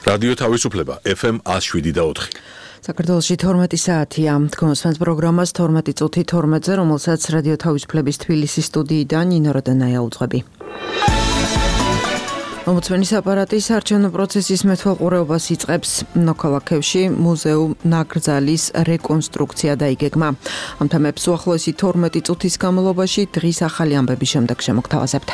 რადიო თავისუფლება FM 107.4. საქართველოში 12 საათია. თქვენს პროგრამას 12 წუთი 12-ზე, რომელსაც რადიო თავისუფლების თბილისის სტუდიიდან ნინო როდანაია უძღვები. ომბუდსმენის აპარატი საარჩევნო პროცესის მეთვალყურეობას იწყებს. მოქალაქეებში მუზეუმ ნაკრძალის რეკონსტრუქცია დაიგეგმა. ამ თემებს უახლოესი 12 წუთის განმავლობაში დღის ახალი ამბების შემდეგ შემოგთავაზებთ.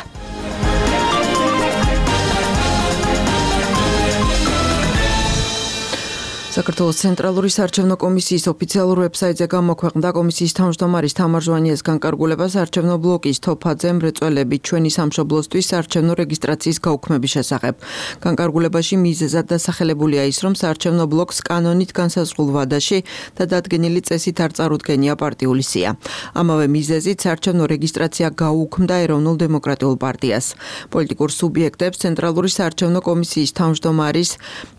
საქართველოს ცენტრალური საარჩევნო კომისიის ოფიციალურ ვებსაიტზე გამოქვეყნდა კომისიის თავმჯდომარის თამარ ჟვანიას განკარგულება საარჩევნო ბლოკის თოფაძე მრეწველები ჩვენი სამშობლოსთვის საარჩევნო რეგისტრაციის გაუქმების შესახებ. განკარგულებაში მიზეზად დასახელებულია ის, რომ საარჩევნო ბლოკს კანონით განსაზღვრულ ვადაში და დადგენილი წესით არ წარუდგენია პარტიული სია. ამავე მიზეზით საარჩევნო რეგისტრაცია გაუქმდა ეროვნულ დემოკრატიულ პარტიას. პოლიტიკურ სუბიექტებს ცენტრალური საარჩევნო კომისიის თავმჯდომარის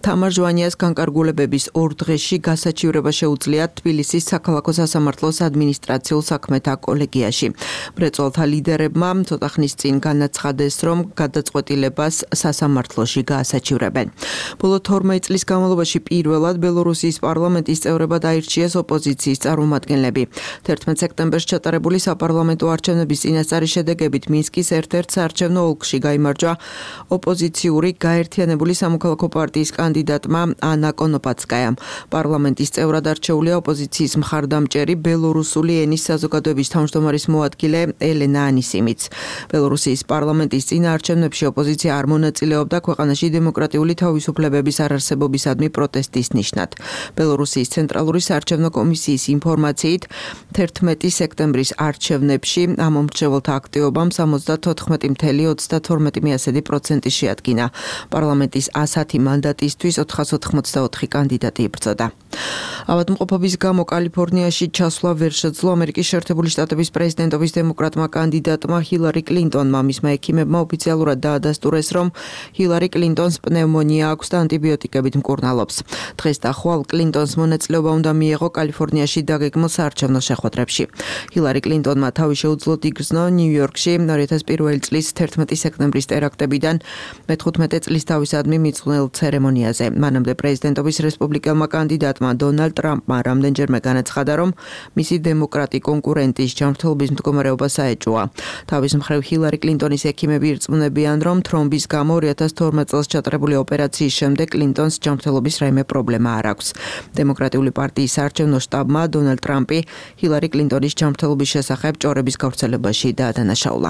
თამარ ჟვანიას განკარგულებების ორ დღეში გასაჩივრება შეუძლიათ თბილისის საქალაქო სასამართლოს ადმინისტრაციულ საქმეთა კოლეგიაში. მრეწველთა ლიდერებმა ცოტა ხნის წინ განაცხადეს, რომ გადაწყვეტილებას სასამართლოში გაასაჩივრებენ. ბოლო 12 წლის განმავლობაში პირველად ბელორუსიის პარლამენტის წევრებად აირჩიეს ოპოზიციის წარმომადგენლები. 11 სექტემბერს ჩატარებული საპარლამენტო არჩევნების წინასწარი შედეგებით მინსკის ერთ-ერთ საარჩევნო ოლქში გაიმარჯვა ოპოზიციური გაერთიანებული სამოქალაქო პარტიის კანდიდატმა ანა კონოპაცკაიამ. პარლამენტის წევრად არჩეულია ოპოზიციის მხარდამჭერი ბელორუსული ენის საზოგადოების თავმჯდომარის მოადგილე ელენა ანისიმიც. ბელორუსიის პარლამენტის წინაარჩევნებში ოპოზიცია არ მონაწილეობდა ქვეყანაში დემოკრატიული თავისუფლებების არარსებობისადმი პროტესტის ნიშნად. ბელორუსიის ცენტრალური საარჩევნო კომისიის ინფორმაციით 11 სექტემბრის არჩევნებში ამ მომრჩეველთა აქტივობამ 74.32% შეადგინა. პარლამენტის 110 მანდატისთვის 484 კანდიდატი იბრძოდა. ავადმყოფობის გამო კალიფორნიაში ჩასვლა ვერ შეძლო ამერიკის შეერთებული შტატების პრეზიდენტობის დემოკრატმა კანდიდატმა ჰილარი კლინტონმა. მისმა ექიმებმა ოფიციალურად დაადასტურეს, რომ ჰილარი კლინტონს პნევმონია აქვს და ანტიბიოტიკებით მკურნალობს. დღეს და ხვალ კლინტონს მონაწილეობა უნდა მიეღო კალიფორნიაში დაგეგმილ საარჩევნო შეხვედრებში. ჰილარი კლინტონმა თავი შეუძლო იგრძნო ნიუ-იორკში 2001 წლის 11 სექტემბრის ტერაქტებიდან 15 წლის თავისადმი მიძღვნილ ცერემონიაზე. მანამდე პრეზიდენტობის რესპუბლიკელმა კანდიდატმა დონალდ ტრამპმა რამდენჯერმე განაცხადა, რომ მისი დემოკრატი კონკურენტის ჯანმრთელობის მდგომარეობა საეჭვოა. თავის მხრივ ჰილარი კლინტონის ექიმები ირწმუნებიან, რომ თრომბის გამო 2012 წელს ჩატარებული ოპერაციის შემდეგ კლინტონს ჯანმრთელობის რაიმე პრობლემა არ აქვს. დემოკრატიული პარტიის საარჩევნო შტაბმა დონალდ ტრამპი ჰილარი კლინტონის ჯანმრთელობის შესახებ ჭორების გავრცელებაში დაადანაშაულა.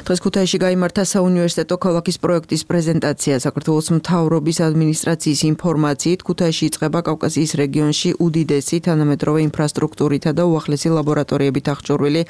დღეს ქუთაისში გაიმართა საუნივერსიტეტო ქალაქის პროექტის პრეზენტაცია. საქართველოს მთავრობის ადმინისტრაციის ინფორმაციით ქუთაისში იწყება კავკასიის რეგიონში უდიდესი თანამედროვე ინფრასტრუქტურითა და უახლესი ლაბორატორიებით აღჭურვილი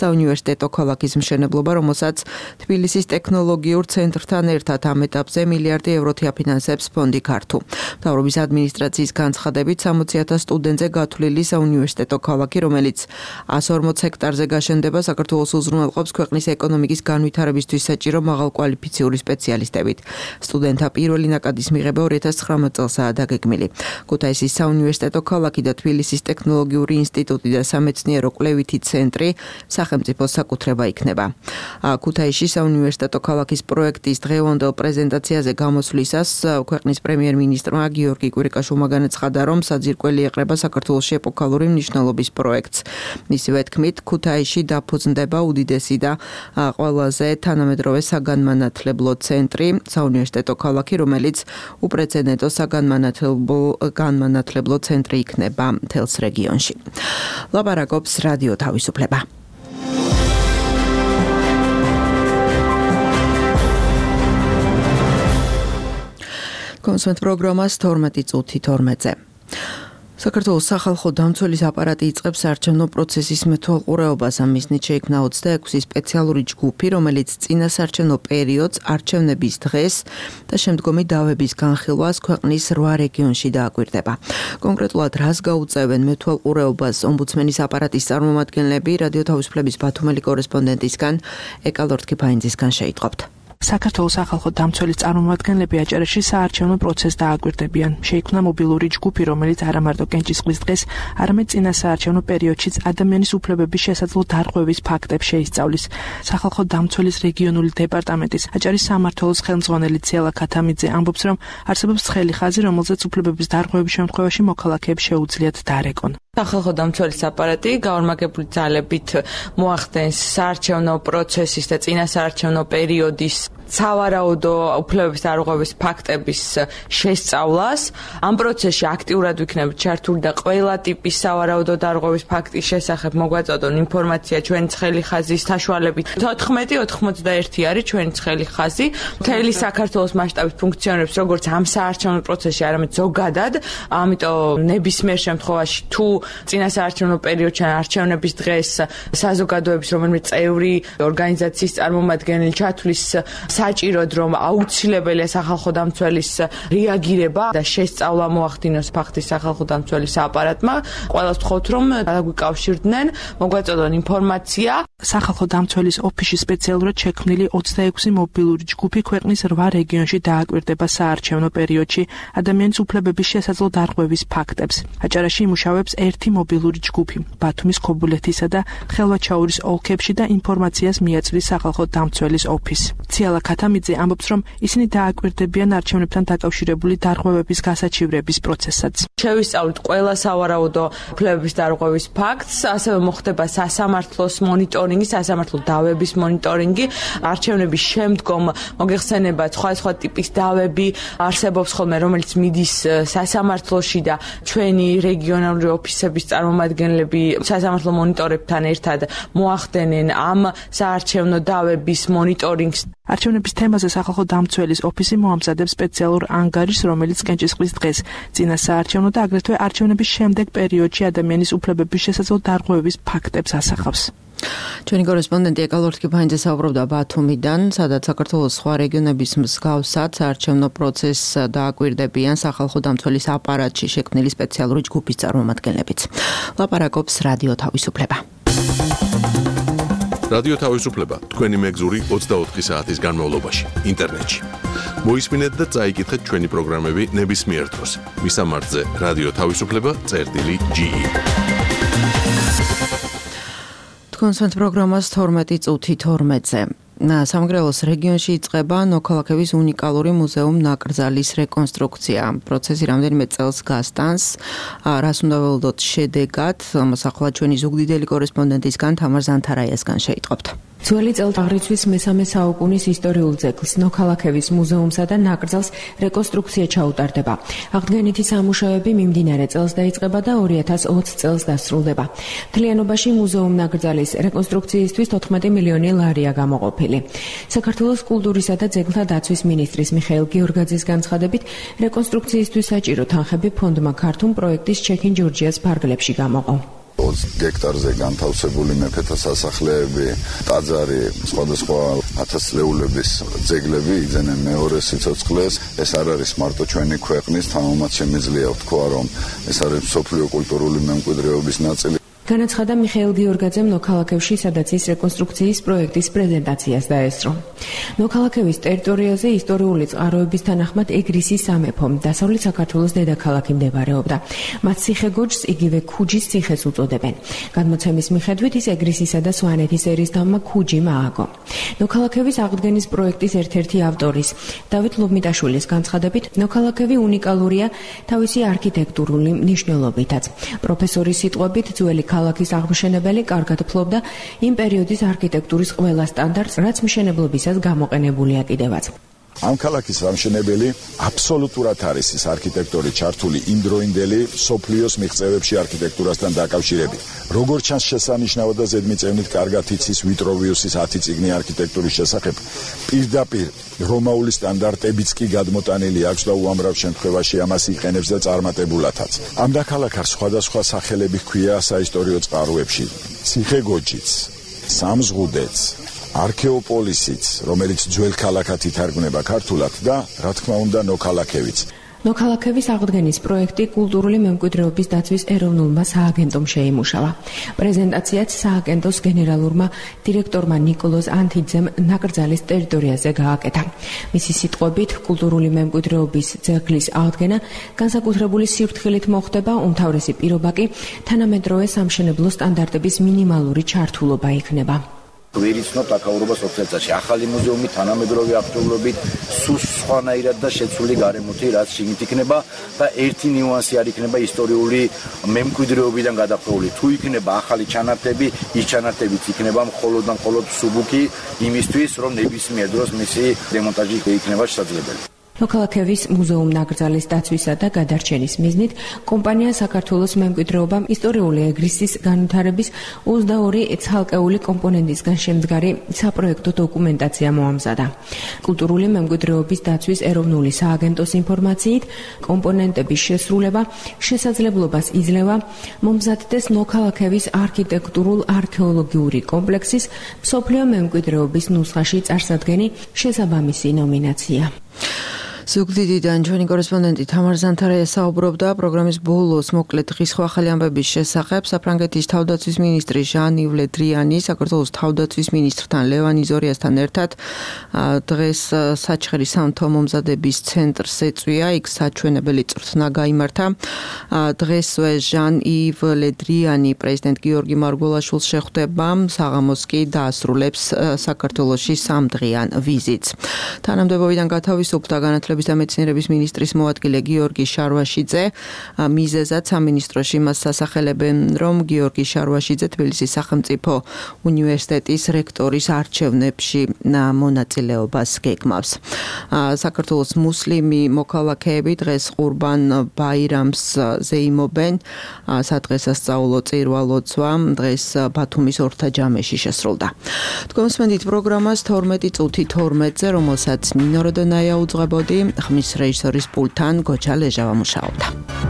საუნივერსიტეტო ქალაქის მშენებლობა, რომელსაც თბილისის ტექნოლოგიურ ცენტრთან ერთად ამ ეტაპზე მილიარდი ევროთი აფინანსებს ფონდი ქართუ. მთავრობის ადმინისტრაციის განცხადებით 60,000 სტუდენტზე გათვლილი საუნივერსიტეტო ქალაქი, რომელიც 140 ჰექტარზე გაშენდება, საქართველოს უზრუნველყოფს ქვეყნის ეკონომიკის განვითარებისთვის საჭირო მაღალკვალიფიციური სპეციალისტებით. სტუდენტთა პირველი ნაკადის მიღება 2019 წელსაა დაგეგმილი. ქუთაისის საუნივერსიტეტო ქალაქი და თბილისის ტექნოლოგიური ინსტიტუტი და სამეცნიერო კვლევითი ცენტრი სახელმწიფოს საკუთრება იქნება. ქუთაისში საუნივერსიტეტო ქალაქის პროექტის დღევანდელ პრეზენტაციაზე გამოსვლისას ქვეყნის პრემიერ-მინისტრმა გიორგი კვირიკაშვილმა განაცხადა, რომ საძირკველი ეყრება საქართველოში ეპოქალური მნიშვნელობის პროექტს. მისივე თქმით, ქუთაისში დაფუძნდება უდიდესი და ყველაზე თანამედროვე საგანმანათლებლო ცენტრი, საუნივერსიტეტო ქალაქი, რომელიც უპრეცედენტო საგანმანათლებლო ცენტრი იქნება მთელს რეგიონში. ლაპარაკობს რადიო თავისუფლება. კონსვენტ პროგრამას 12 წუთი 12-ზე. საქართველოს სახალხო დამცველის აპარატი იწყებს საარჩევნო პროცესის მეთვალყურეობას. ამისნით შეიქმნა 26 სპეციალური ჯგუფი, რომელიც წინა საარჩევნო პერიოდს, არჩევნების დღეს და შემდგომი დავების განხილვას ქვეყნის 8 რეგიონში დააკვირდება. კონკრეტულად რას გაუწევენ მეთვალყურეობას ომბუდსმენის აპარატის წარმომადგენლები, რადიო თავისუფლების ბათუმელი კორესპონდენტისგან ეკალორთქიფაინძისგან შეიტყობთ. საქართველოს სახალხო დამცველის წარმომადგენლები აჭარაში საარჩევნო პროცესს დააკვირდებიან. შეიქმნა მობილური ჯგუფი, რომელიც არა მარტო კენჭისყრის დღეს, არამედ წინა საარჩევნო პერიოდშიც ადამიანის უფლებების შესაძლო დარღვევის ფაქტებს შეისწავლის. სახალხო დამცველის რეგიონული დეპარტამენტის აჭარის სამმართველოს ხელმძღვანელი ციალა ქათამიძე ამბობს, რომ არსებობს ცხელი ხაზი, რომელზეც უფლებების დარღვევის შემთხვევაში მოქალაქეებს შეუძლიათ დარეკონ. სახალხო დამცველის აპარატი გაორმაგებული ძალებით მოახდენს საარჩევნო პროცესის და წინა საარჩევნო პერიოდის სავარაუდო უფლებების დარღვევის ფაქტების შესწავლას. ამ პროცესში აქტიურად ვიქნებით ჩართული და ყველა ტიპის სავარაუდო დარღვევის ფაქტის შესახებ მოგვაწოდონ ინფორმაცია ჩვენი ცხელი ხაზის საშუალებით. 14-91 არის ჩვენი ცხელი ხაზი. მთელი საქართველოს მასშტაბით ფუნქციონირებს როგორც ამ საარჩევნო პროცესში, არამედ ზოგადად. ამიტომ ნებისმიერ შემთხვევაში თუ წინა საარჩევნო პერიოდში არჩევნების დღეს საზოგადოების რომელიმე წევრი ორგანიზაციის წარმომადგენელი ჩათვლის საჭიროდ რომ აუცილებელია სახალხო დამცველის რეაგირება და შესწავლა მოახდინოს ფაქტის სახალხო დამცველის აპარატმა, ყველას ვთხოვთ რომ დაგვიკავშირდნენ, მოგვაწოდონ ინფორმაცია. სახალხო დამცველის ოფისში სპეციალურად შექმნილი 26 მობილური ჯგუფი ქვეყნის 8 რეგიონში დააკვირდება საარჩევნო პერიოდში ადამიანის უფლებების შესაძლო დარღვევის ფაქტებს. აჭარაში იმუშავებს ერთი მობილური ჯგუფი, ბათუმის, ქობულეთისა და ხელვაჩაურის ოლქებში და ინფორმაციას მიაწვდის სახალხო დამცველის ოფისს. ციალა ქათამიძე ამბობს, რომ ისინი დააკვირდებიან არჩევნებთან დაკავშირებული დარღვევების გასაჩივრების პროცესსაც. შევისწავლით ყველა სავარაუდო უფლებების დარღვევის ფაქტს, ასევე მოხდება სასამართლოს მონიტორინგი, სასამართლო დავების მონიტორინგი, არჩევნების შემდგომ მოგეხსენებათ სხვა ტიპის დავები არსებობს ხოლმე, რომელიც მიდის სასამართლოში და ჩვენი რეგიონალური ოფისების წარმომადგენლები სასამართლო მონიტორებთან ერთად მოახდენენ ამ საარჩევნო დავების მონიტორინგს. არჩევნების თემაზე სახალხო დამცველის ოფისი მოამზადებს სპეციალურ ანგარიშს, რომელიც კენჭისყრის დღეს, წინა საარჩევნო და აგრეთვე არჩევნების შემდეგ პერიოდში ადამიანის უფლებების შესაძლო დარღვევის ფაქტებს ასახავს. ჩვენი კორესპონდენტი ეკალორ თქიფანიძე საუბრობდა ბათუმიდან, სადაც საქართველოს სხვა რეგიონების მსგავსად საარჩევნო პროცესს დააკვირდებიან სახალხო დამცველის აპარატში შექმნილი სპეციალური ჯგუფის წარმომადგენლებიც. ლაპარაკობს რადიო თავისუფლება. რადიო თავისუფლება თქვენი მეგზური 24 საათის განმავლობაში ინტერნეტში. მოისმინეთ და წაიკითხეთ ჩვენი პროგრამები ნებისმიერ დროს. მისამართზე რადიო თავისუფლება.ge. თქვენს პროგრამას 12 წუთი 12-ზე. სამგრელოს რეგიონში იწყება ნოქალაქების უნიკალური მუზეუმ-ნაკრძალის რეკონსტრუქცია. პროცესი რამდენიმე წელს გასტანს. რას უნდა ველოდოთ შედეგად, ამას ახლა ჩვენი ზუგდიდელი კორესპონდენტისგან თამარ ზანთარაიასგან შეიტყობთ. ძველი წელთაღრიცხვის მესამე საუკუნის ისტორიულ ძეგლს ნოქალაქების მუზეუმსა და ნაკრძალს რეკონსტრუქცია ჩაუტარდება. აღდგენითი სამუშაოები მიმდინარე წელს დაიწყება და 2020 წელს დასრულდება. მთლიანობაში მუზეუმ-ნაკრძალის რეკონსტრუქციისთვის 14 მილიონი ლარია გამოყოფილი. საქართველოს კულტურისა და ძეგლთა დაცვის მინისტრის მიხეილ გიორგაძის განცხადებით, რეკონსტრუქციისთვის საჭირო თანხები ფონდმა ქართულ პროექტის ჩექინ ჯორჯიას ფარგლებში გამოყო. 20 გექტარზე განთავსებული მეფეთა სასახლეები, ტაძარი, სხვადასხვა ათასწლეულების ძეგლები იძენენ მეორე სიცოცხლეს. ეს არ არის მარტო ჩვენი ქვეყნის, თამამად შემიძლია ვთქვა, რომ ეს არის მსოფლიო კულტურული მემკვიდრეობის ნაწილი. განაცხადა მიხეილ გიორგაძემ ნოქალაქევში, სადაც ის რეკონსტრუქციის პროექტის პრეზენტაციას დაესწრო. ნოქალაქევის ტერიტორიაზე ისტორიული წყაროების თანახმად ეგრისის სამეფო, დასავლეთ საქართველოს დედაქალაქი მდებარეობდა. მათ ციხე-გოჯს იგივე ქუჯის ციხეს უწოდებენ. გადმოცემის მიხედვით ის ეგრისისა და სვანეთის ერისთავმა ქუჯიმ ააგო. ნოქალაქევის აღდგენის პროექტის ერთ-ერთი ავტორის, დავით ლობმიტაშვილის განცხადებით, ნოქალაქევი უნიკალურია თავისი არქიტექტურული მნიშვნელობითაც. პროფესორის სიტყვებით, ძველი ქალაქის აღმშენებელი კარგად ფლობდა იმ პერიოდის არქიტექტურის ყველა სტანდარტს, რაც მშენებლობისას გამოყენებულია კიდევაც. ამ ქალაქის აღმშენებელი აბსოლუტურად არის ის არქიტექტორი ჩართული იმდროინდელი სოფლიოს მიღწევებში არქიტექტურასთან დაკავშირებით. როგორც ჩანს შესანიშნავად და ზედმიწევნით კარგად იცის ვიტროვიუსის 10 წიგნი არქიტექტურის შესახებ. პირდაპირ რომაული სტანდარტებიც კი გადმოტანილი აქვს და უამრავ შემთხვევაში ამას იყენებს და წარმატებულათაც. ამ დაქალაქარს სხვადასხვა სახელები ჰქვია საისტორიო წყაროებში. ციხე-გოჯიც, სამზღუდეც, არქეოპოლისიც, რომელიც ძველ ქალაქად ითარგმნება ქართულად და რა თქმა უნდა ნოქალაქევიც. ნოქალაქების აღდგენის პროექტი კულტურული მემკვიდრეობის დაცვის ეროვნულმა სააგენტომ შეიმუშავა. პრეზენტაციაც სააგენტოს გენერალურმა დირექტორმა ნიკოლოზ ანთიძემ ნაკრძალის ტერიტორიაზე გააკეთა. მისი სიტყვებით, კულტურული მემკვიდრეობის ძეგლის აღდგენა განსაკუთრებული სიფრთხილით მოხდება, უმთავრესი პირობა კი თანამედროვე სამშენებლო სტანდარტების მინიმალური ჩართულობა იქნება. ვერიცნობთ აკაურობას ოქცეთაში ახალი მუზეუმი თანამედროვე აქტუალობით სულ სხვანაირად და შეცვლილი გარემოთი რაც შიგნით იქნება და ერთი ნიუანსი არ იქნება ისტორიული მემკვიდრეობიდან გადახვეული თუ იქნება ახალი ჩანართები ის ჩანართებიც იქნება მხოლოდ სუბუქი იმისთვის რომ ნებისმიერ დროს მისი დემონტაჟი იქნება შესაძლებელი. ნოქალაქევის მუზეუმ-ნაკრძალის დაცვისა და გადარჩენის მიზნით კომპანია საქართველოს მემკვიდრეობამ ისტორიული ეგრისის განვითარების 22 ცალკეული კომპონენტისგან შემდგარი საპროექტო დოკუმენტაცია მოამზადა. კულტურული მემკვიდრეობის დაცვის ეროვნული სააგენტოს ინფორმაციით, კომპონენტების შესრულება შესაძლებლობას იძლევა მომზადდეს ნოქალაქევის არქიტექტურულ-არქეოლოგიური კომპლექსის მსოფლიო მემკვიდრეობის ნუსხაში წარსადგენი შესაბამისი ნომინაცია. ზუგდიდიდან ჩვენი კორესპონდენტი თამარ ზანთარაია საუბრობდა პროგრამის ბოლოს მოკლედ დღის ახალი ამბების შესახებ. საფრანგეთის თავდაცვის მინისტრი ჟან-ივ ლე დრიანი საქართველოს თავდაცვის მინისტრთან ლევან იზორიასთან ერთად დღეს საჩხერის სამთო მომზადების ცენტრს ეწვია. იქ საჩვენებელი წვრთნა გაიმართა. დღესვე ჟან-ივ ლე დრიანი პრეზიდენტ გიორგი მარგველაშვილს შეხვდება. საღამოს კი დაასრულებს საქართველოში სამდღიან ვიზიტს. თანამდებობიდან გათავისუფლდა განათლების და მეცნიერების მინისტრის მოადგილე გიორგი შარვაშიძე. მიზეზად სამინისტროში მას სასახელებენ, რომ გიორგი შარვაშიძე თბილისის სახელმწიფო უნივერსიტეტის რექტორის არჩევნებში მონაწილეობას გეგმავს. საქართველოს მუსლიმი მოქალაქეები დღეს ყურბან ბაირამს ზეიმობენ. სადღესასწაულო წირვა ლოცვა დღეს ბათუმის ორთაჯამეში შესრულდა. თქვენ მსმენთ პროგრამას 12:12-ზე, რომელსაც ნინო როდონაია უძღვებოდი. ხმის რეჟისორის პულტთან გოჩა ლეჟავა მუშაობდა.